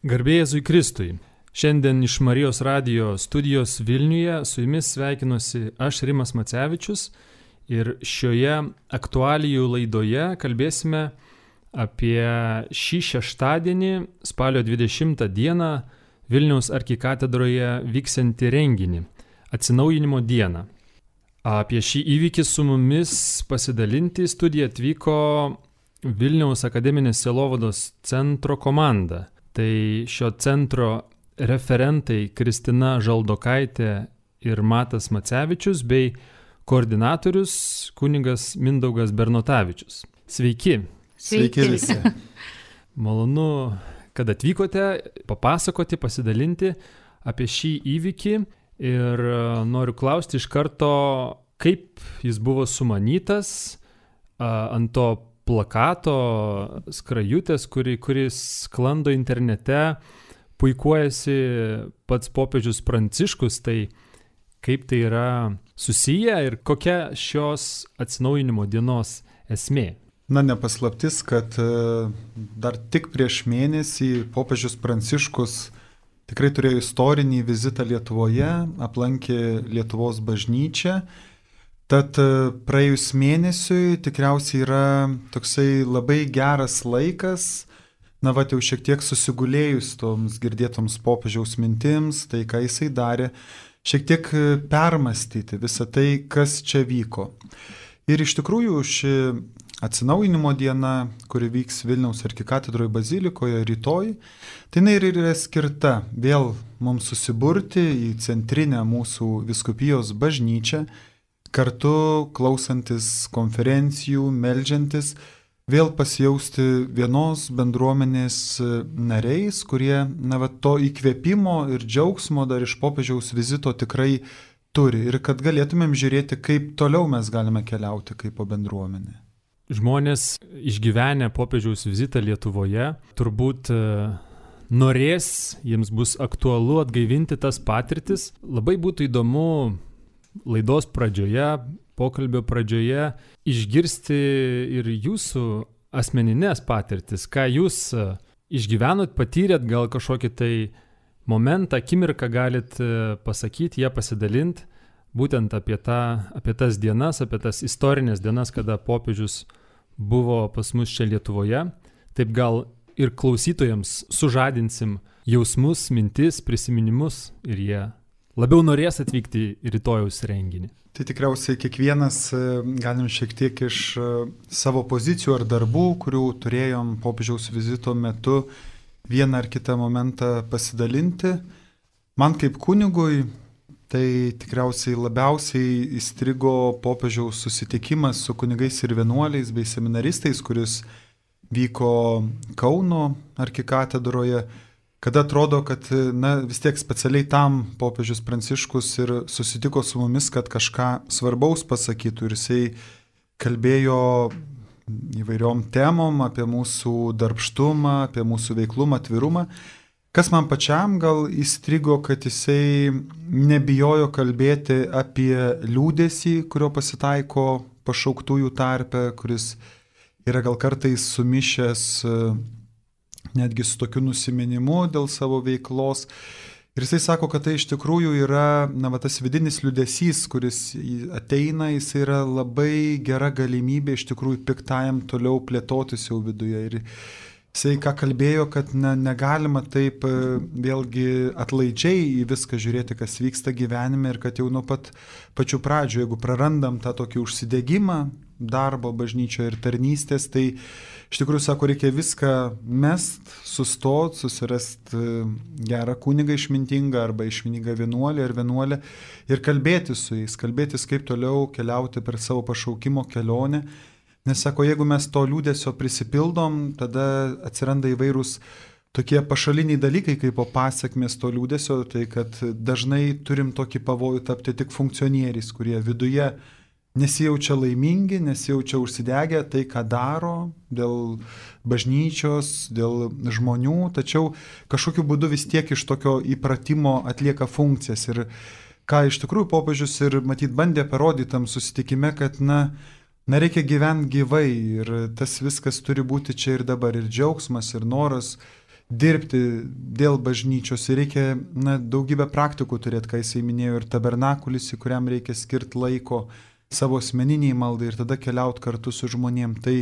Garbė Jėzui Kristui. Šiandien iš Marijos radijo studijos Vilniuje su jumis sveikinuosi aš Rimas Macevičius ir šioje aktualijų laidoje kalbėsime apie šį šeštadienį, spalio 20 dieną, Vilniaus arkikatedroje vyksiantį renginį – Atsinaujinimo dieną. Apie šį įvykį su mumis pasidalinti į studiją atvyko Vilniaus akademinės sielovados centro komanda. Tai šio centro referentai Kristina Žaldokaitė ir Matas Macevičius bei koordinatorius kunigas Mindaugas Bernotavičius. Sveiki. Sveiki visi. Malonu, kad atvykote papasakoti, pasidalinti apie šį įvykį ir noriu klausti iš karto, kaip jis buvo sumanytas ant to plakato skrajutės, kuris sklando internete, puikuojasi pats popiežius Pranciškus, tai kaip tai yra susiję ir kokia šios atsinaujinimo dienos esmė? Ne paslaptis, kad dar tik prieš mėnesį popiežius Pranciškus tikrai turėjo istorinį vizitą Lietuvoje, aplankė Lietuvos bažnyčią. Tad praėjus mėnesiui tikriausiai yra toksai labai geras laikas, jau šiek tiek susigulėjus toms girdėtoms popiežiaus mintims, tai ką jisai darė, šiek tiek permastyti visą tai, kas čia vyko. Ir iš tikrųjų ši atsinaujinimo diena, kuri vyks Vilniaus arkikatedroje bazilikoje rytoj, tai jinai ir yra skirta vėl mums susiburti į centrinę mūsų vyskupijos bažnyčią, kartu klausantis konferencijų, meldžiantis, vėl pasijausti vienos bendruomenės nariais, kurie to įkvėpimo ir džiaugsmo dar iš popiežiaus vizito tikrai turi ir kad galėtumėm žiūrėti, kaip toliau mes galime keliauti kaip po bendruomenė. Žmonės išgyvenę popiežiaus vizitą Lietuvoje turbūt norės, jiems bus aktualu atgaivinti tas patirtis. Labai būtų įdomu laidos pradžioje, pokalbio pradžioje išgirsti ir jūsų asmeninės patirtis, ką jūs išgyvenot, patyrėt, gal kažkokį tai momentą, akimirką galit pasakyti, ją pasidalinti, būtent apie tas dienas, apie tas istorinės dienas, kada popiežius buvo pas mus čia Lietuvoje. Taip gal ir klausytojams sužadinsim jausmus, mintis, prisiminimus ir jie labiau norės atvykti į rytojaus renginį. Tai tikriausiai kiekvienas galim šiek tiek iš savo pozicijų ar darbų, kurių turėjom popiežiaus vizito metu, vieną ar kitą momentą pasidalinti. Man kaip kunigui tai tikriausiai labiausiai įstrigo popiežiaus susitikimas su kunigais ir vienuoliais bei seminaristais, kuris vyko Kauno arkikatedroje, kada atrodo, kad vis tiek specialiai tam popiežius Pranciškus ir susitiko su mumis, kad kažką svarbaus pasakytų. Ir jisai kalbėjo įvairiom temom apie mūsų darbštumą, apie mūsų veiklumą, atvirumą. Kas man pačiam gal įstrigo, kad jisai nebijojo kalbėti apie liūdesį, kurio pasitaiko pašauktųjų tarpe, kuris yra gal kartais sumišęs netgi su tokiu nusiminimu dėl savo veiklos. Ir jisai sako, kad tai iš tikrųjų yra tas vidinis liūdesys, kuris ateina, jis yra labai gera galimybė iš tikrųjų piktajam toliau plėtotis jau viduje. Ir jisai ką kalbėjo, kad negalima taip vėlgi atlaidžiai į viską žiūrėti, kas vyksta gyvenime ir kad jau nuo pačių pradžių, jeigu prarandam tą tokį užsidegimą darbo bažnyčioje ir tarnystės, tai iš tikrųjų, sako, reikia viską mest, sustot, susirast gerą kunigą išmintingą arba išmintingą vienuolį ar vienuolę ir kalbėtis su jais, kalbėtis kaip toliau keliauti per savo pašaukimo kelionę. Nes, sako, jeigu mes to liūdesio prisipildom, tada atsiranda įvairūs tokie pašaliniai dalykai kaip po pasekmės to liūdesio, tai kad dažnai turim tokį pavojų tapti tik funkcionieriais, kurie viduje nesijaučia laimingi, nesijaučia užsidegę tai, ką daro dėl bažnyčios, dėl žmonių, tačiau kažkokiu būdu vis tiek iš tokio įpratimo atlieka funkcijas. Ir ką iš tikrųjų popiežius ir matyt bandė parodyti tam susitikime, kad reikia gyventi gyvai ir tas viskas turi būti čia ir dabar, ir džiaugsmas, ir noras dirbti dėl bažnyčios ir reikia daugybę praktikų turėti, ką jisai minėjo, ir tabernakulis, į kuriam reikia skirti laiko savo asmeniniai maldai ir tada keliauti kartu su žmonėm. Tai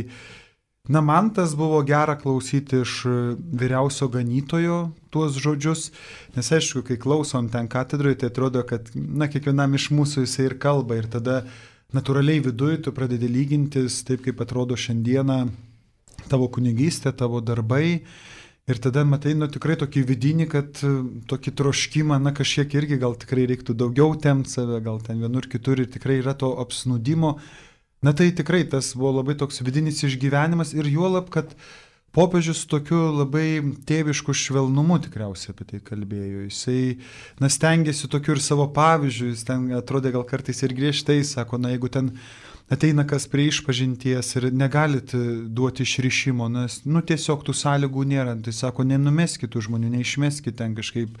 man tas buvo gera klausyti iš vyriausio ganytojo tuos žodžius, nes aišku, kai klausom ten katedroje, tai atrodo, kad kiekvienam iš mūsų jisai ir kalba ir tada natūraliai viduje tu pradedi lygintis taip, kaip atrodo šiandieną tavo kunigystė, tavo darbai. Ir tada matai, tikrai tokį vidinį, kad tokį troškimą, kažkiek irgi gal tikrai reiktų daugiau temti save, gal ten vienur kitur ir tikrai yra to apsnūdimo. Tai tikrai tas buvo labai toks vidinis išgyvenimas ir juolab, kad popiežius tokiu labai tėvišku švelnumu tikriausiai apie tai kalbėjo. Jisai stengiasi tokiu ir savo pavyzdžiu, jis ten atrodė gal kartais ir griežtai, sako, jeigu ten ateina kas prie išpažinties ir negalit duoti išrišimo, nes tiesiog tų sąlygų nėra. Tai sako, nenumeskit tų žmonių, neišmeskit ten kažkaip,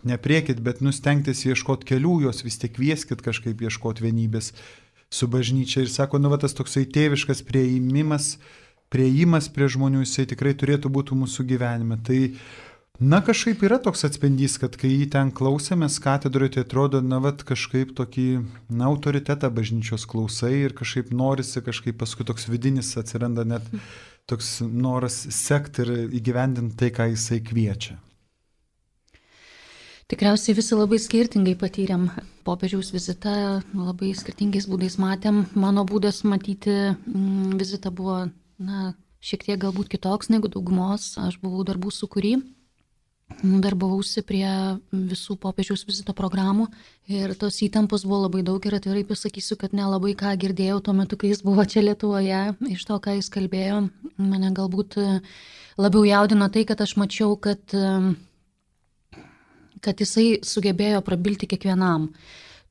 nepriekit, bet stengtis ieškoti kelių, jos vis tiek kvieskit kažkaip ieškoti vienybės su bažnyčia. Ir sako, tas toksai tėviškas priėjimas prie žmonių, jisai tikrai turėtų būti mūsų gyvenime. Tai kažkaip yra toks atspindys, kad kai jį ten klausėmės katedroje, tai atrodo, kažkaip tokį autoritetą bažnyčios klausai ir kažkaip norisi, kažkaip paskui toks vidinis atsiranda net toks noras sekti ir įgyvendinti tai, ką jisai kviečia. Tikriausiai visi labai skirtingai patyrėm popiežiaus vizitą, labai skirtingais būdais matėm. Mano būdas matyti vizitą buvo, šiek tiek galbūt kitoks negu daugumos. Aš buvau darbų sūkury. Darbavausi prie visų popiežiaus vizito programų ir tos įtampos buvo labai daug ir atvirai pasakysiu, kad nelabai ką girdėjau tuo metu, kai jis buvo čia Lietuvoje, iš to, ką jis kalbėjo. Mane galbūt labiau jaudino tai, kad aš mačiau, kad jisai sugebėjo prabilti kiekvienam.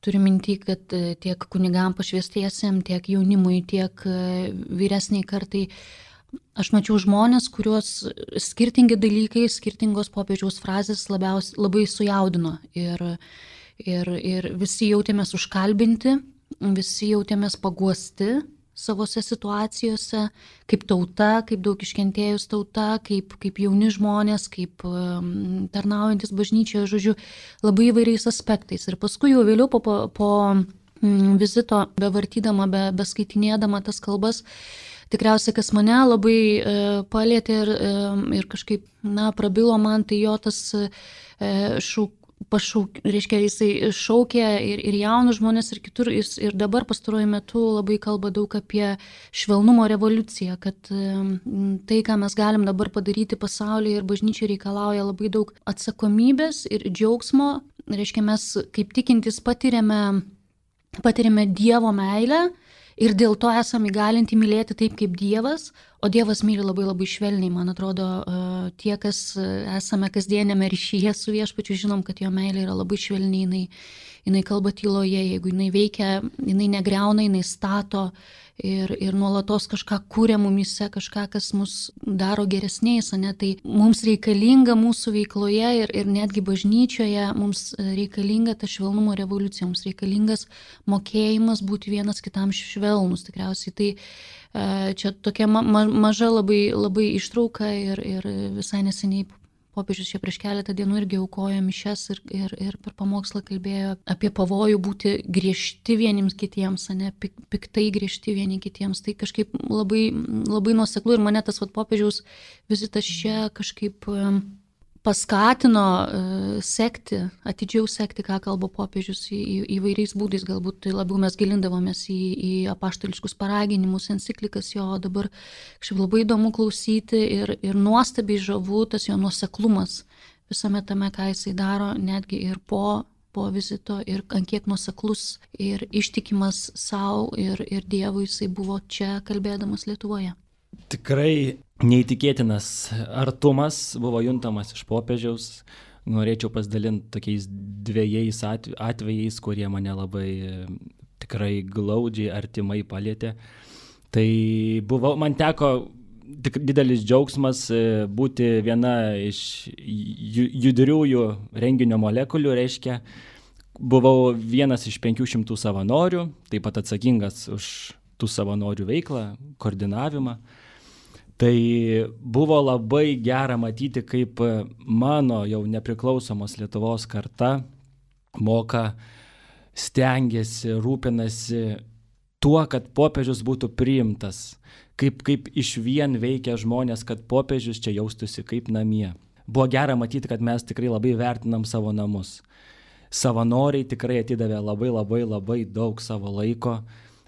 Turiu minty, kad tiek kunigam pašvęstiesiem, tiek jaunimui, tiek vyresniai kartai. Aš mačiau žmonės, kuriuos skirtingi dalykai, skirtingos popiežiaus frazės labai sujaudino. Ir visi jautėmės užkalbinti, visi jautėmės paguosti savose situacijose, kaip tauta, kaip daug iškentėjus tauta, kaip jauni žmonės, kaip tarnaujantis bažnyčioje, žodžiu, labai įvairiais aspektais. Ir paskui jau vėliau po vizito, bevartydama, beskaitinėdama tas kalbas, tikriausiai, kas mane labai palėtė ir kažkaip, prabilo man, tai jo tas reiškia, jisai šaukė ir jaunus žmonės ir kitur, ir dabar pastaruoju metu labai kalba daug apie švelnumo revoliuciją, kad tai, ką mes galim dabar padaryti pasaulyje ir bažnyčiai reikalauja labai daug atsakomybės ir džiaugsmo. Reiškia, mes kaip tikintys patiriame Dievo meilę, ir dėl to esame įgalinti mylėti taip, kaip Dievas, o Dievas myli labai labai švelniai. Man atrodo, tie, kas esame kasdienėme ryšyje su Viešpačiu, žinom, kad jo meilė yra labai švelniai, jinai kalba tyloje, jeigu jinai veikia, jinai negriauna, jinai stato ir nuolatos kažką kūrė mumyse, kažką, kas mus daro geresniais, tai mums reikalinga mūsų veikloje ir netgi bažnyčioje mums reikalinga ta švelnumo revoliucija, mums reikalingas mokėjimas būti vienas kitam švelnus. Tikriausiai tai čia tokia maža labai ištrauka ir visai neseniai popiežius čia prieš keletą dienų irgi aukojo mišias ir per pamokslą kalbėjo apie pavojų būti griežti vieniems kitiems, piktai griežti vieni kitiems. Tai kažkaip labai, labai nuoseklu ir mane tas popiežiaus vizitas čia kažkaip paskatino atidžiau sekti, ką kalba popiežius įvairiais būdais. Galbūt tai labiau mes gilindavomės į apaštališkus paraginimus, enciklikas jo, dabar kažkaip labai įdomu klausyti ir nuostabiai žavu tas jo nuoseklumas visame tame, ką jisai daro, netgi ir po vizito, ir ant kiek nuoseklus ir ištikimas savo ir Dievui jisai buvo čia kalbėdamas Lietuvoje. Tikrai neįtikėtinas artumas buvo juntamas iš popiežiaus. Norėčiau pasidalinti tokiais dviejais atvejais, kurie mane labai tikrai glaudžiai, artimai palėtė. Tai man teko tik didelis džiaugsmas būti viena iš judriųjų renginio molekulių, reiškia, buvau vienas iš 500 savanorių, taip pat atsakingas už tų savanorių veiklą, koordinavimą. Tai buvo labai gera matyti, kaip mano jau nepriklausomos Lietuvos karta moka, stengiasi, rūpinasi tuo, kad popiežius būtų priimtas, kaip iš vien veikia žmonės, kad popiežius čia jaustųsi kaip namie. Buvo gera matyti, kad mes tikrai labai vertinam savo namus. Savanoriai tikrai atidavė labai daug savo laiko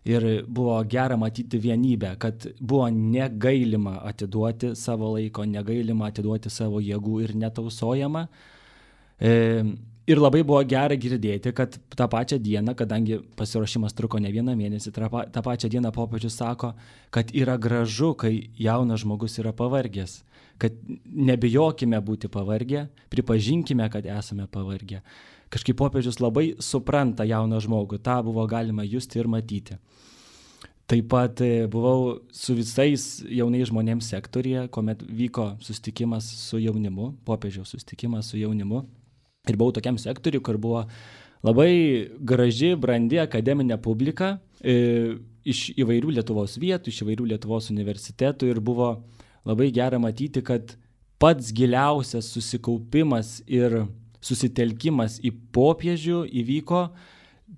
ir buvo gera matyti vienybę, kad buvo negailima atiduoti savo laiko, negailima atiduoti savo jėgų ir netausojama. Ir labai buvo gera girdėti, kad tą pačią dieną, kadangi pasiruošimas truko ne vieną mėnesį, tą pačią dieną popiežius sako, kad yra gražu, kai jaunas žmogus yra pavargęs, kad nebijokime būti pavargę, pripažinkime, kad esame pavargę. Kažkaip popiežius labai supranta jauną žmogų, tą buvo galima justi ir matyti. Taip pat buvau su visais jaunais žmonėms sektorija, kuomet vyko susitikimas su jaunimu, popiežiaus susitikimas su jaunimu. Ir buvau tokiam sektoriui, kur buvo labai graži, brandi akademinė publika iš įvairių Lietuvos vietų, iš įvairių Lietuvos universitetų ir buvo labai gera matyti, kad pats giliausias susikaupimas ir susitelkimas į popiežių įvyko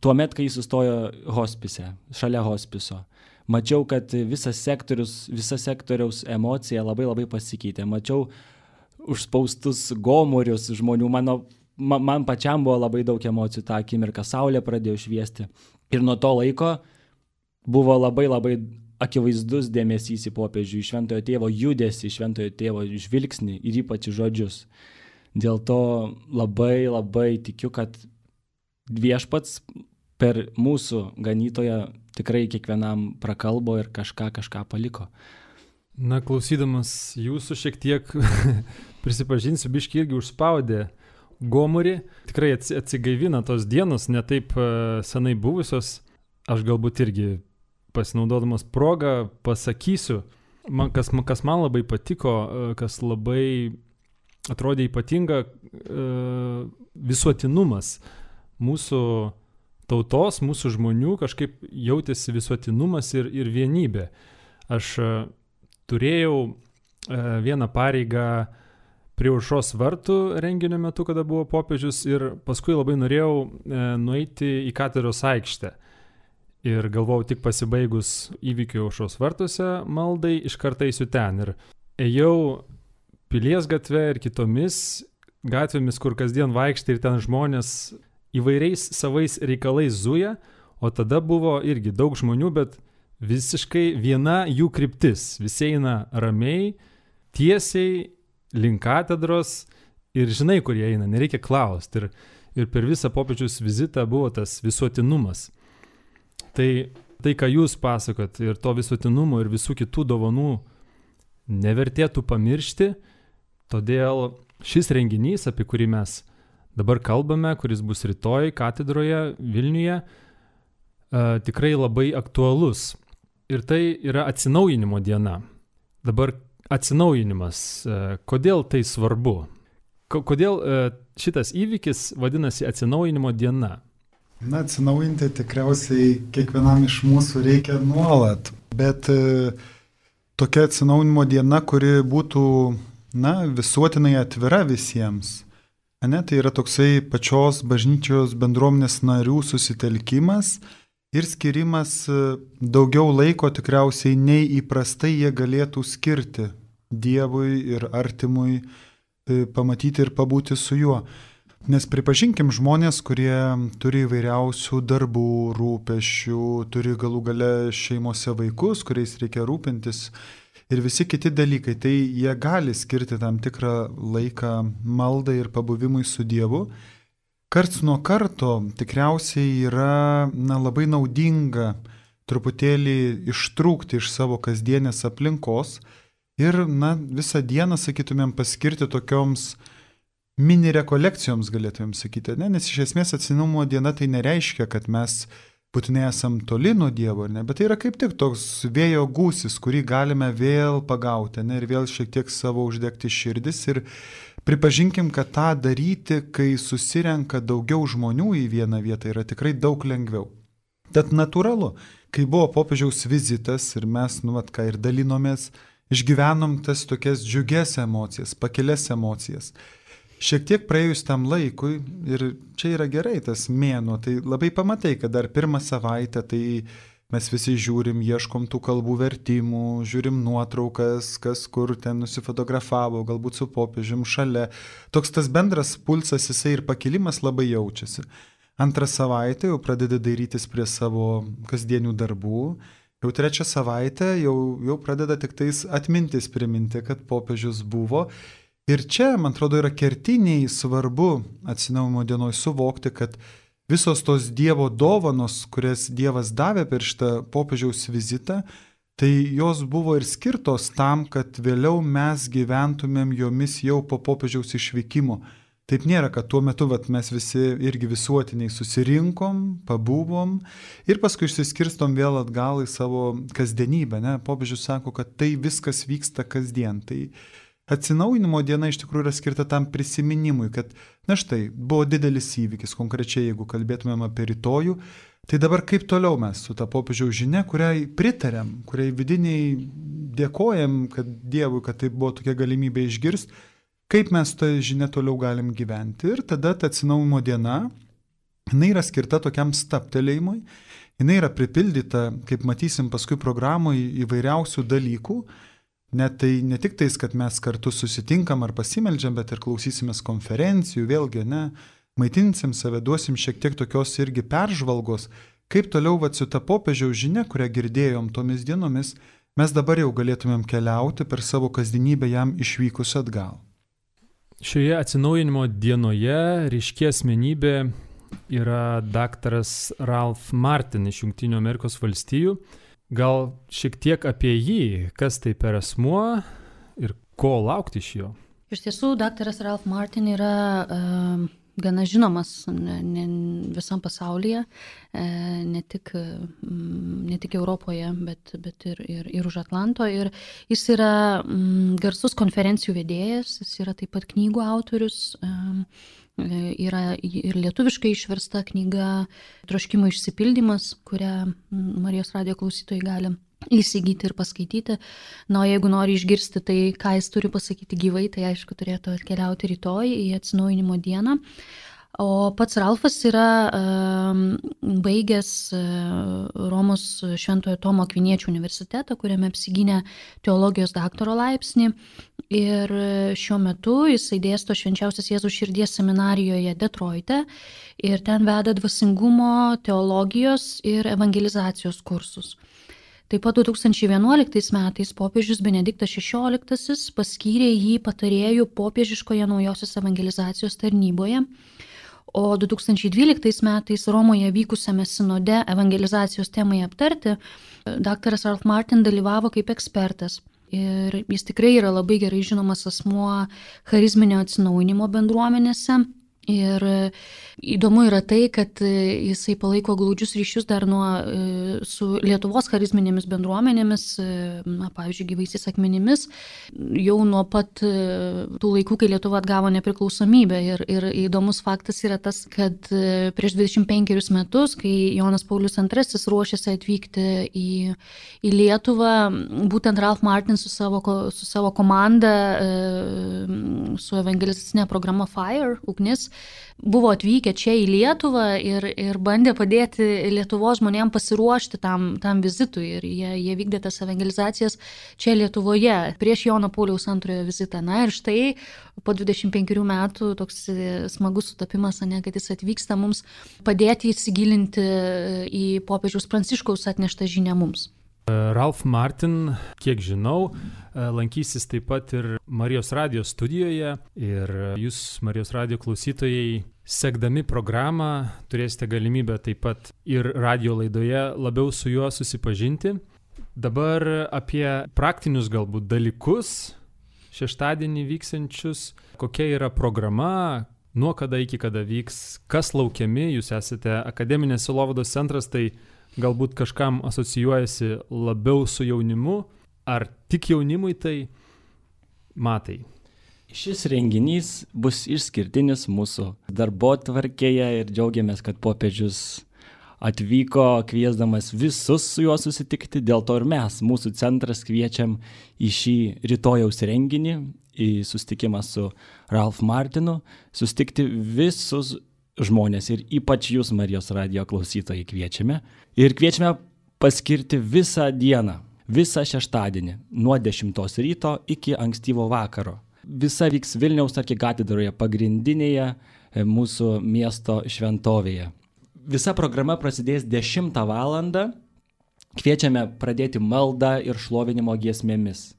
tuomet, kai jis sustojo hospise, šalia hospiso. Mačiau, kad visa sektoriaus emocija labai pasikeitė. Mačiau užspaustus gomurius žmonių. Man pačiam buvo labai daug emocijų tą akimirką. Saulė pradėjo šviesti. Ir nuo to laiko buvo labai akivaizdus dėmesys į popiežių, į šventojo tėvo judesį, šventojo tėvo žvilgsnį ir ypač žodžius. Dėl to labai tikiu, kad viešpats per mūsų ganytoją tikrai kiekvienam prakalbo ir kažką paliko. Na, klausydamas jūsų šiek tiek prisipažinsiu, biškį irgi užspaudė gomurį. Tikrai atsigaivina tos dienos, ne taip senai buvusios. Aš galbūt irgi pasinaudodamas progą pasakysiu, kas man labai patiko, kas labai atrodė ypatinga, visuotinumas mūsų tautos, mūsų žmonių, kažkaip jautėsi visuotinumas ir vienybė. Aš turėjau vieną pareigą prie Aušros vartų renginio metu, kada buvo popiežius, ir paskui labai norėjau nueiti į katedros aikštę. Ir galvojau, tik pasibaigus įvykių Aušros vartuose maldai, iš karto eisiu ten. Ir ėjau Pilies gatve ir kitomis gatvėmis, kur kasdien vaikštai ir ten žmonės įvairiais savais reikalais zuja, o tada buvo irgi daug žmonių, bet visiškai viena jų kryptis. Visi eina ramiai, tiesiai, link katedros ir žinai, kur jie eina, nereikia klausti. Ir per visą popiežiaus vizitą buvo tas visuotinumas. Tai, ką jūs pasakot, ir to visuotinumo ir visų kitų dovanų nevertėtų pamiršti, todėl šis renginys, apie kurį mes dabar kalbame, kuris bus rytoj katedroje Vilniuje, tikrai labai aktualus. Ir tai yra atsinaujinimo diena. Dabar atsinaujinimas. Kodėl tai svarbu? Kodėl šitas įvykis vadinasi atsinaujinimo diena? Na, atsinaujinti tikriausiai kiekvienam iš mūsų reikia nuolat, bet tokia atsinaujinimo diena, kuri būtų, visuotinai atvira visiems. Tai yra toksai pačios bažnyčios bendruomenės narių susitelkimas ir skirimas daugiau laiko tikriausiai nei įprastai jie galėtų skirti Dievui ir artimui, pamatyti ir pabūti su juo. Nes pripažinkim žmonės, kurie turi įvairiausių darbų, rūpesčių, turi galų gale šeimose vaikus, kuriais reikia rūpintis ir visi kiti dalykai, tai jie gali skirti tam tikrą laiką maldai ir pabuvimui su Dievu. Karts nuo karto tikriausiai yra labai naudinga truputėlį ištrūkti iš savo kasdienės aplinkos ir visą dieną, sakytumėm, paskirti tokioms mini rekolekcijoms, galėtumėm sakyti, nes iš esmės atsinaujinimo diena tai nereiškia, kad mes būtinai esam toli nuo Dievo, bet tai yra kaip tik toks vėjo gūsis, kurį galime vėl pagauti, ir vėl šiek tiek savo uždegti širdis ir pripažinkim, kad tą daryti, kai susirenka daugiau žmonių į vieną vietą, yra tikrai daug lengviau. Tad natūralu, kai buvo popiežiaus vizitas ir mes, ką ir dalinomės išgyvenom tas tokias džiugias emocijas, pakilias emocijas. Šiek tiek praėjus tam laikui, ir čia yra gerai tas mėnuo, tai labai pamatai, kad dar pirmą savaitę tai mes visi žiūrim, ieškom tų kalbų vertimų, žiūrim nuotraukas, kas kur ten nusifotografavo, galbūt su popiežium šalia. Toks tas bendras pulsas, jisai ir pakilimas labai jaučiasi. Antrą savaitę jau pradedi dairytis prie savo kasdienių darbų. Jau trečią savaitę jau pradeda tik tais atmintis priminti, kad popiežius buvo. Ir čia, man atrodo, yra kertiniai svarbu atsinaujinimo dienoj suvokti, kad visos tos Dievo dovanos, kurias Dievas davė per šitą popiežiaus vizitą, tai jos buvo ir skirtos tam, kad vėliau mes gyventumėm jomis jau po popiežiaus išvykimo. Taip nėra, kad tuo metu mes visi irgi visuotiniai susirinkom, pabuvom ir paskui išsiskirstom vėl atgal į savo kasdienybę. Ne? Popiežius sako, kad tai viskas vyksta kasdien. Tai atsinaujinimo diena iš tikrųjų yra skirta tam prisiminimui, kad, na štai, buvo didelis įvykis, konkrečiai jeigu kalbėtumėm apie rytojų, tai dabar kaip toliau mes su ta popiežiaus žinia, kuriai pritarėm, kuriai vidiniai dėkojam, kad Dievui, kad tai buvo tokia galimybė išgirsti, kaip mes tą žinią toliau galim gyventi. Ir tada ta atsinaujinimo diena, jinai yra skirta tokiam stabtelėjimui, jinai yra pripildyta, kaip matysim paskui programoje, įvairiausių dalykų. Net tai ne tik tais, kad mes kartu susitinkam ar pasimeldžiam, bet ir klausysimės konferencijų, vėlgi, maitinsim save, duosim šiek tiek tokios irgi peržvalgos, kaip toliau su ta popiežiaus žinia, kurią girdėjom tomis dienomis, mes dabar jau galėtumėm keliauti per savo kasdienybę jam išvykus atgal. Šioje atsinaujinimo dienoje ryški asmenybė yra daktaras Ralph Martin iš Jungtinių Amerikos valstijų. Gal šiek tiek apie jį, kas tai per asmuo ir ko laukti iš jo? Iš tiesų, daktaras Ralph Martin yra gana žinomas visam pasaulyje, ne tik Europoje, bet ir už Atlanto. Ir jis yra garsus konferencijų vedėjas, jis yra taip pat knygų autorius. Yra ir lietuviškai išversta knyga Troškimo išsipildymas, kurią Marijos radijo klausytojai gali įsigyti ir paskaityti. Na, o jeigu nori išgirsti tai, ką jis turi pasakyti gyvai, tai aišku turėtų atkeliauti rytoj į atsinaujinimo dieną. O pats Ralfas yra baigęs Romos Šventojo Tomo Akviniečio universitetą, kuriame apsigynė teologijos daktaro laipsnį. Ir šiuo metu jisai dėsto Švenčiausios Jėzaus širdies seminarijoje Detroite ir ten veda dvasingumo, teologijos ir evangelizacijos kursus. Taip pat 2011 metais popiežius Benediktas XVI paskyrė jį patarėjų popiežiškoje naujosios evangelizacijos tarnyboje, o 2012 metais Romoje vykusiame sinode evangelizacijos temai aptarti daktaras Ralph Martin dalyvavo kaip ekspertas. Ir jis tikrai yra labai gerai žinomas asmuo charizminio atsinaujinimo bendruomenėse. Ir įdomu yra tai, kad jisai palaiko glaudžius ryšius dar su Lietuvos charizminėmis bendruomenėmis, pavyzdžiui, Gyvaisiais akmenimis, jau nuo pat tų laikų, kai Lietuva atgavo nepriklausomybę. Ir įdomus faktas yra tas, kad prieš 25 metus, kai Jonas Paulius II ruošėsi atvykti į Lietuvą, būtent Ralph Martin su savo komanda, su evangelizacinė programa Fire, ugnis, buvo atvykę čia į Lietuvą ir bandė padėti Lietuvos žmonėms pasiruošti tam vizitui. Ir jie vykdė tas evangelizacijas čia Lietuvoje prieš Jono Pauliaus II vizitą. Na ir štai po 25 metų toks smagus sutapimas, kad jis atvyksta mums padėti įsigilinti į popiežiaus Pranciškaus atneštą žinią mums. Ralph Martin, kiek žinau, lankysis taip pat ir Marijos radijo studijoje ir jūs, Marijos radijo klausytojai, sekdami programą, turėsite galimybę taip pat ir radijo laidoje labiau su juo susipažinti. Dabar apie praktinius galbūt dalykus šeštadienį vyksiančius, kokia yra programa, nuo kada iki kada vyks, kas laukiami, jūs esate akademinės sielovados centras, tai galbūt kažkam asocijuojasi labiau su jaunimu, ar tik jaunimui tai matai? Šis renginys bus išskirtinis mūsų darbotvarkėje ir džiaugiamės, kad popiežius atvyko kviesdamas visus su juo susitikti, dėl to ir mes, mūsų centras, kviečiam į šį rytojaus renginį, į susitikimą su Ralph Martinu, susitikti visus žmonės ir ypač jūs, Marijos radijo klausytojai, kviečiame. Ir kviečiame paskirti visą dieną, visą šeštadienį, nuo 10 ryto iki ankstyvo vakaro. Visa vyks Vilniaus arkikatedroje, pagrindinėje mūsų miesto šventovėje. Visa programa prasidės 10 valandą. Kviečiame pradėti maldą ir šlovinimo giesmėmis.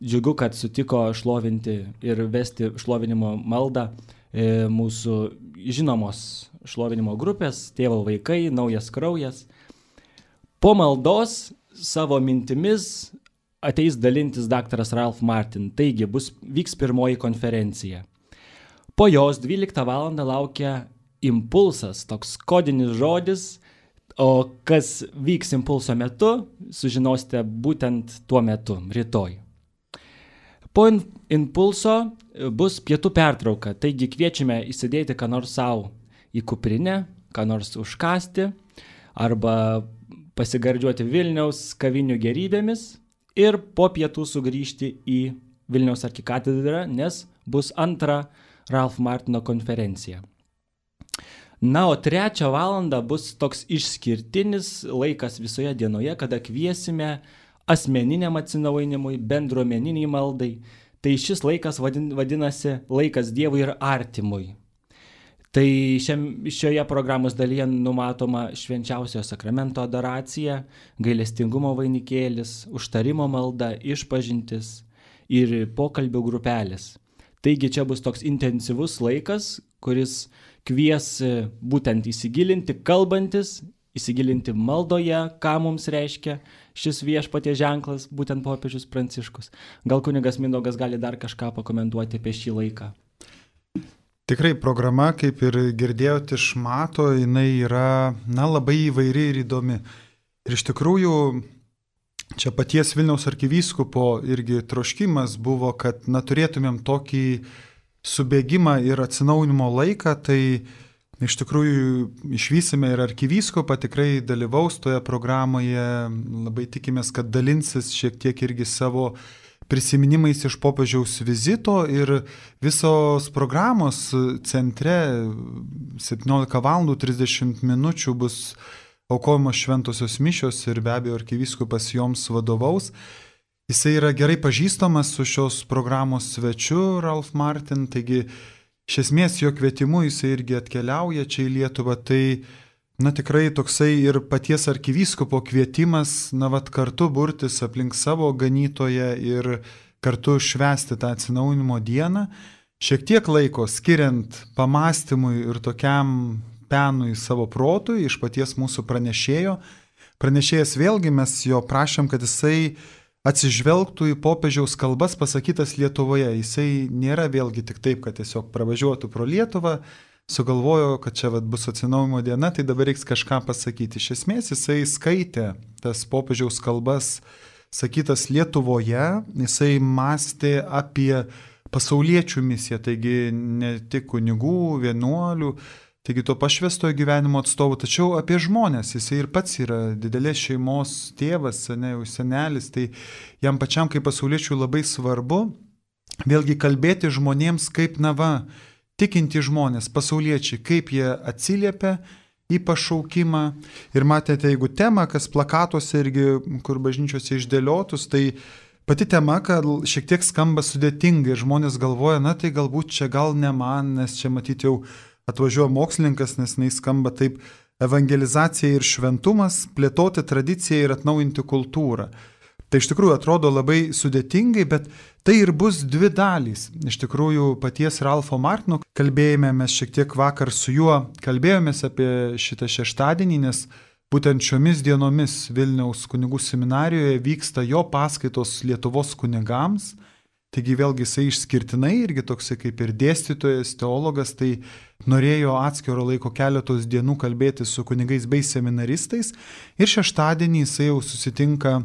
Džiugu, kad sutiko šlovinti ir vesti šlovinimo maldą mūsų žinomos šlovinimo grupės, Tėvo vaikai, Naujas kraujas. Po maldos savo mintimis ateis dalintis daktaras Ralph Martin, taigi vyks pirmoji konferencija. Po jos 12 valandą laukia impulsas, toks kodinis žodis, o kas vyks impulso metu, sužinosite būtent tuo metu, rytoj. Po impulso bus pietų pertrauka, taigi kviečiame įsidėti ką nors savo į kuprinę, ką nors užkasti arba pasigardžiuoti Vilniaus kavinių gerybėmis ir po pietų sugrįžti į Vilniaus arkikatedrą, nes bus antra Ralph Martino konferencija. Na, o 3 valandą bus toks išskirtinis laikas visoje dienoje, kada kviesime asmeniniam atsinaujinimui, bendruomeniniai maldai. Tai šis laikas vadinasi laikas Dievui ir artimui. Tai šioje programos dalyje numatoma švenčiausiojo sakramento adoracija, gailestingumo vainikėlis, užtarimo malda, išpažintis ir pokalbių grupelės. Taigi čia bus toks intensyvus laikas, kuris kvies būtent įsigilinti, kalbantis, įsigilinti maldoje, ką mums reiškia šis viešpaties ženklas, būtent popiežius Pranciškus. Gal kunigas Mindaugas gali dar kažką pakomentuoti apie šį laiką? Tikrai programa, kaip ir girdėjote iš Mato, jinai yra labai įvairi ir įdomi. Ir iš tikrųjų, čia paties Vilniaus arkivyskupo irgi troškimas buvo, kad turėtumėm tokį subėgimą ir atsinaujinimo laiką, tai iš tikrųjų išvysime ir arkivyskupą, tikrai dalyvaus toje programoje, labai tikimės, kad dalinsis šiek tiek irgi savo prisiminimais iš popiežiaus vizito ir visos programos centre 17:30 bus aukojamos šventosios mišios ir be abejo arkivyskupas joms vadovaus. Jisai yra gerai pažįstamas su šios programos svečiu Ralph Martin, taigi iš esmės jo kvietimu jisai irgi atkeliauja čia į Lietuvą, tai tikrai toksai ir paties arkivyskupo kvietimas, kartu burtis aplink savo ganytoją ir kartu švęsti tą atsinaujinimo dieną, šiek tiek laiko skiriant pamastymui ir tokiam penui savo protui iš paties mūsų pranešėjo. Pranešėjas vėlgi mes jo prašėm, kad jisai atsižvelgtų į popiežiaus kalbas pasakytas Lietuvoje. Jisai nėra vėlgi tik taip, kad tiesiog pravažiuotų pro Lietuvą, sugalvojo, kad čia bus atsinaujinimo diena, tai dabar reiks kažką pasakyti. Iš esmės jisai skaitė tas popiežiaus kalbas sakytas Lietuvoje, jisai mąstė apie pasauliečių misiją, taigi ne tik kunigų, vienuolių, taigi to pašvęstojo gyvenimo atstovų, tačiau apie žmonės. Jisai ir pats yra didelės šeimos tėvas, senelis, tai jam pačiam kaip pasauliečių labai svarbu vėlgi kalbėti žmonėms kaip tikinti žmonės, pasauliečiai, kaip jie atsiliepia į pašaukimą. Ir matėte, jeigu tema, kas plakatuose irgi, kur bažnyčiose išdėliotus, tai pati tema, kad šiek tiek skamba sudėtingai ir žmonės galvoja, tai galbūt čia gal ne man, nes čia matyti jau atvažiuoja mokslininkas, nes jis skamba taip: evangelizacija ir šventumas, plėtoti tradiciją ir atnaujinti kultūrą. Tai iš tikrųjų atrodo labai sudėtingai, bet tai ir bus 2 dalys. Iš tikrųjų paties Ralpho Martino kalbėjome, mes šiek tiek vakar su juo kalbėjomės apie šitą šeštadienį, nes būtent šiomis dienomis Vilniaus kunigų seminarijoje vyksta jo paskaitos Lietuvos kunigams. Taigi vėlgi jisai išskirtinai irgi toksai kaip ir dėstytojas, teologas, tai norėjo atskiro laiko keletos dienų kalbėti su kunigais bei seminaristais ir šeštadienį jisai jau susitinka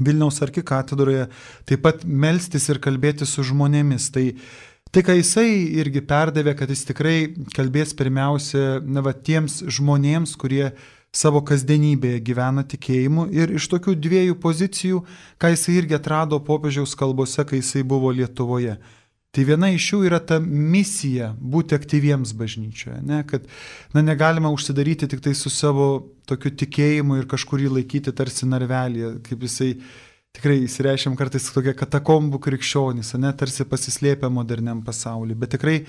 Vilniaus arkikatedroje taip pat melstis ir kalbėti su žmonėmis. Tai Tai, ką jisai irgi perdavė, kad jis tikrai kalbės pirmiausia tiems žmonėms, kurie savo kasdienybėje gyvena tikėjimu, ir iš tokių dviejų pozicijų, ką jisai irgi atrado popiežiaus kalbose, kai jisai buvo Lietuvoje. Tai viena iš jų yra ta misija būti aktyviems bažnyčioje, ne? Kad negalima užsidaryti tik tai su savo tokiu tikėjimu ir kažkurį laikyti tarsi narvelėje, kaip jisai tikrai įsireiškiam kartais tokie katakombų krikščionys, ne? Tarsi pasislėpę moderniam pasauliu, bet tikrai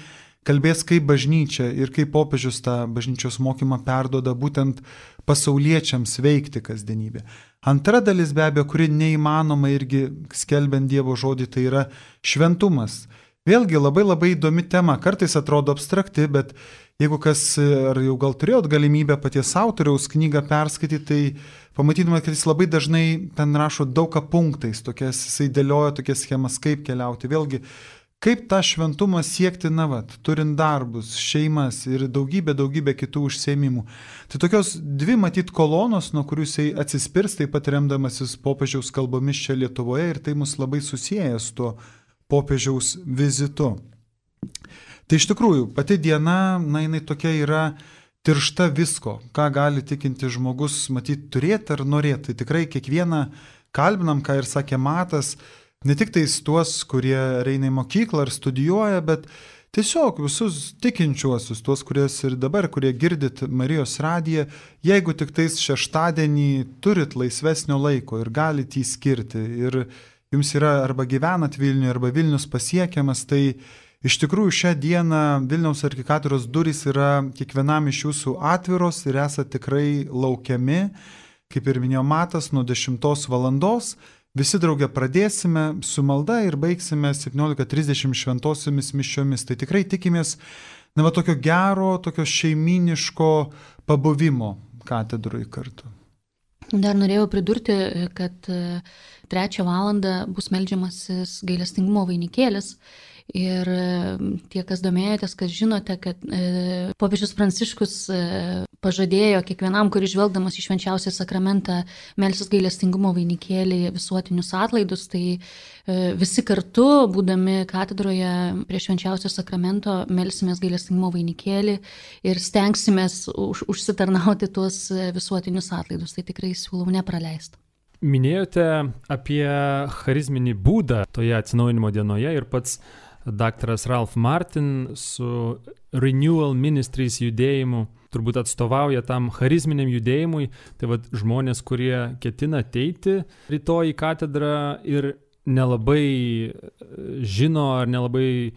kalbės kaip bažnyčia ir kaip popiežius tą bažnyčios mokymą perduoda būtent pasauliečiams veikti kasdienybę. Antra dalis be abejo, kuri neįmanoma irgi skelbiant Dievo žodį, tai yra šventumas. Vėlgi labai įdomi tema, kartais atrodo abstrakti, bet jeigu kas, ar jau gal turėjot galimybę paties autoriaus knygą perskaityti, tai pamatytumėt, kad jis labai dažnai ten rašo daug punktais, jisai dėlioja tokias schemas, kaip keliauti. Vėlgi, kaip tą šventumą siekti, turint darbus, šeimas ir daugybę kitų užsiėmimų. Tai tokios dvi matyt kolonos, nuo kurių jisai atsispirs, taip pat remdamasis popiežiaus kalbomis čia Lietuvoje, ir tai mus labai susieja su tuo popiežiaus vizitu. Tai iš tikrųjų, pati diena, jinai tokia yra tiršta visko, ką gali tikinti žmogus matyti turėti ar norėti. Tai tikrai kiekvieną kalbinam, ką ir sakė Matas, ne tik tais tuos, kurie eina į mokyklą ar studijuoja, bet tiesiog visus tikinčiuosius, tuos, ir dabar, kurie girdit Marijos radiją, jeigu tik tais šeštadienį turit laisvesnio laiko ir galite jį skirti, ir jums yra arba gyvenat Vilniuje, arba Vilnius pasiekiamas, tai iš tikrųjų šią dieną Vilniaus arkikatedros durys yra kiekvienam iš jūsų atviros ir esate tikrai laukiami, kaip ir minėjo Matas, nuo 10 valandos. Visi drauge pradėsime su malda ir baigsime 17:30 šventosiomis mišiomis. Tai tikrai tikimės tokio gero, tokio šeiminiško pabuvimo katedroje kartu. Dar norėjau pridurti, kad 3 valandą bus meldžiamasis gailestingumo vainikėlis. Ir tie, kas domėjotės, kas žinote, kad popiežius Pranciškus pažadėjo kiekvienam, kuris žvelgdamas į švenčiausią sakramentą melsis gailestingumo vainikėlį visuotinius atlaidus, tai visi kartu, būdami katedroje prie švenčiausio sakramento, melsimės gailestingumo vainikėlį ir stengsimės užsitarnauti tuos visuotinius atlaidus. Tai tikrai siūlau nepraleisti. Minėjote apie charizminį būdą toje atsinaujinimo dienoje ir pats daktaras Ralph Martin su Renewal Ministries judėjimu turbūt atstovauja tam charizminiam judėjimui. Tai žmonės, kurie ketina ateiti rytoj į katedrą ir nelabai žino ar nelabai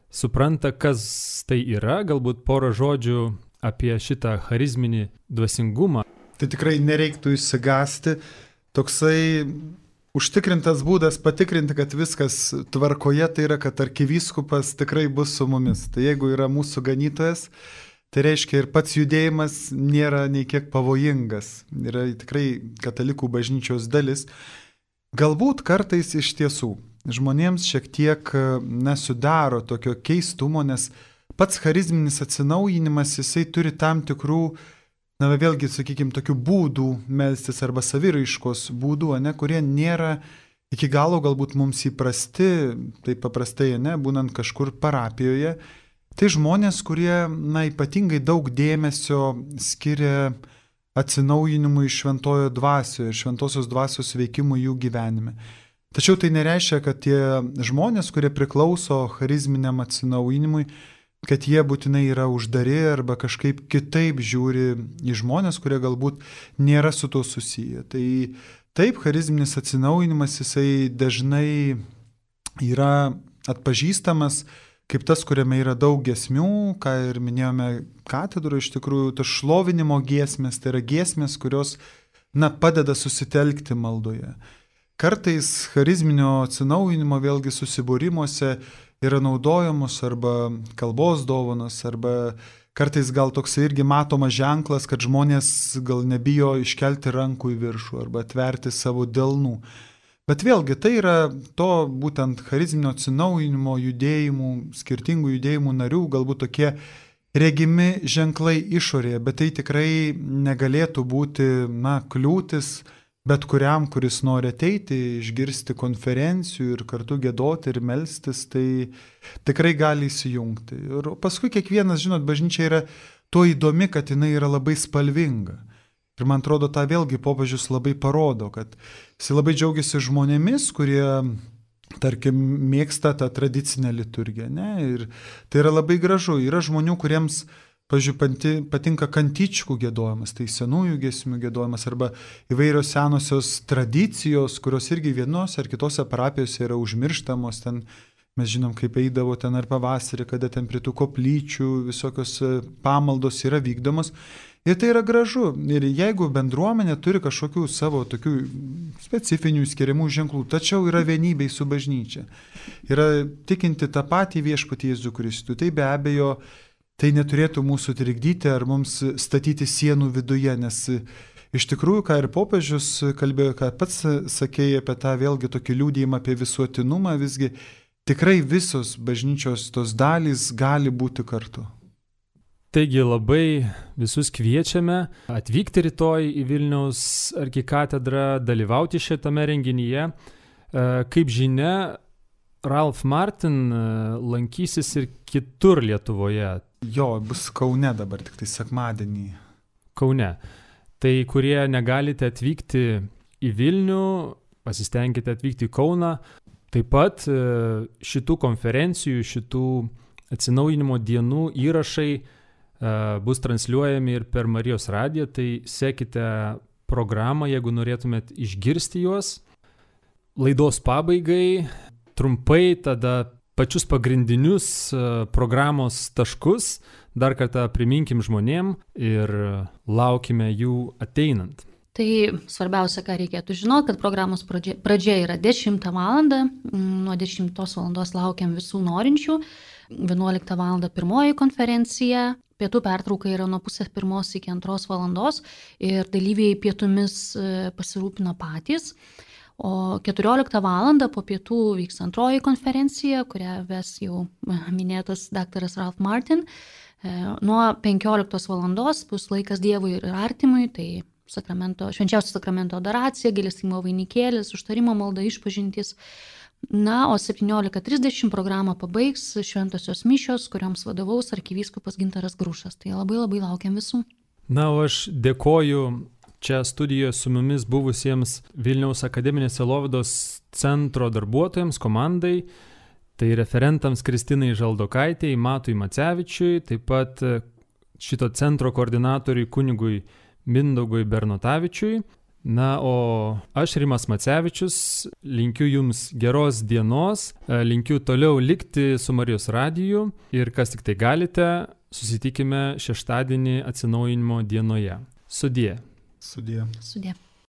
supranta, kas tai yra, galbūt porą žodžių apie šitą charizminį dvasingumą. Tai tikrai nereiktų išsigąsti. Toksai užtikrintas būdas patikrinti, kad viskas tvarkoje, tai yra, kad arkivyskupas tikrai bus su mumis. Tai jeigu yra mūsų ganytojas, tai reiškia ir pats judėjimas nėra nei kiek pavojingas. Yra tikrai katalikų bažnyčios dalis. Galbūt kartais iš tiesų žmonėms šiek tiek nesudaro tokio keistumo, nes pats charizminis atsinaujinimas, jisai turi tam tikrų, vėlgi, sakykime, tokių būdų melstis arba saviraiškos būdų, kurie nėra iki galo galbūt mums įprasti, taip paprastai, būnant kažkur parapijoje. Tai žmonės, kurie, ypatingai daug dėmesio skiria atsinaujinimui šventojo dvasioje ir šventosios dvasios veikimui jų gyvenime. Tačiau tai nereiškia, kad tie žmonės, kurie priklauso charizminiam atsinaujinimui, kad jie būtinai yra uždari arba kažkaip kitaip žiūri į žmonės, kurie galbūt nėra su to susiję. Tai taip, charizminis atsinaujinimas, jisai dažnai yra atpažįstamas kaip tas, kuriame yra daug giesmių, ką ir minėjome katedroje, iš tikrųjų, tas šlovinimo giesmės, tai yra giesmės, kurios padeda susitelkti maldoje. Kartais charizminio atsinaujinimo vėlgi susibūrimuose yra naudojamos arba kalbos dovanos, arba kartais gal toks irgi matomas ženklas, kad žmonės gal nebijo iškelti rankų į viršų arba atverti savo delnų. Bet vėlgi tai yra to būtent charizminio atsinaujinimo judėjimų, skirtingų judėjimų narių, galbūt tokie regimi ženklai išorėje, bet tai tikrai negalėtų būti kliūtis bet kuriam, kuris nori ateiti, išgirsti konferencijų ir kartu giedoti ir melstis, tai tikrai gali įsijungti. Ir paskui kiekvienas, žinot, bažnyčia yra tuo įdomi, kad jinai yra labai spalvinga. Ir man atrodo, tą vėlgi popiežius labai parodo, kad jis labai džiaugiasi žmonėmis, kurie, tarkim, mėgsta tą tradicinę liturgiją. Ne? Ir tai yra labai gražu. Yra žmonių, kuriems, pavyzdžiui, patinka kantičkų giedojimas, tai senųjų giesmių giedojimas arba įvairios senosios tradicijos, kurios irgi vienos ar kitose parapijose yra užmirštamos. Ten mes žinom, kaip eidavo ten ar pavasarį, kada ten prie tų koplyčių visokios pamaldos yra vykdomos. Ir tai yra gražu. Ir jeigu bendruomenė turi kažkokių savo tokių specifinių skiriamų ženklų, tačiau yra vienybei su bažnyčia, yra tikinti tą patį viešpatį Jėzų Kristų, tai be abejo tai neturėtų mūsų trikdyti ar mums statyti sienų viduje, nes iš tikrųjų, ką ir popiežius kalbėjo, ką pats sakėjai apie tą vėlgi tokį liūdėjimą apie visuotinumą, visgi tikrai visos bažnyčios tos dalys gali būti kartu. Taigi labai visus kviečiame atvykti rytoj į Vilniaus arkikatedrą, dalyvauti šitame renginyje. Kaip žinia, Ralph Martin lankysis ir kitur Lietuvoje. Jo, bus Kaune dabar, tik tai sekmadienį. Kaune. Tai kurie negalite atvykti į Vilnių, pasistengkite atvykti į Kauną. Taip pat šitų konferencijų, šitų atsinaujinimo dienų įrašai bus transliuojami ir per Marijos radiją, tai sekite programą, jeigu norėtumėt išgirsti juos. Laidos pabaigai trumpai tada pačius pagrindinius programos taškus dar kartą priminkim žmonėm ir laukime jų ateinant. Tai svarbiausia, ką reikėtų žinoti, kad programos pradžia yra 10 valandą, nuo 10 valandos laukiam visų norinčių, 11 valandą pirmoji konferencija, pietų pertrauka yra nuo 12:30 iki 2 valandos ir dalyviai pietumis pasirūpino patys. O 14 valandą po pietų vyks antroji konferencija, kurią ves jau minėtas daktaras Ralph Martin. Nuo 15 valandos bus laikas Dievui ir artimui, tai švenčiausio sakramento adoracija, gailestingumo vainikėlis, užtarimo malda, išpažintys. Na, o 17:30 programą pabaigs šventosios mišios, kurioms vadovaus arkivyskupas Gintaras Grušas. Tai labai labai laukiam visų. Na, o aš dėkoju čia studijoje su mumis buvusiems Vilniaus akademinės sielovados centro darbuotojams, komandai, tai referentams Kristinai Žaldokaitei, Matui Macevičiui, taip pat šito centro koordinatoriui kunigui Mindaugui Bernotavičiui. Na, o aš, Rimas Macevičius, linkiu jums geros dienos, linkiu toliau likti su Marijos radiju ir kas tik tai galite, susitikime šeštadienį atsinaujinimo dienoje. Sudie. Sudie. Sudie.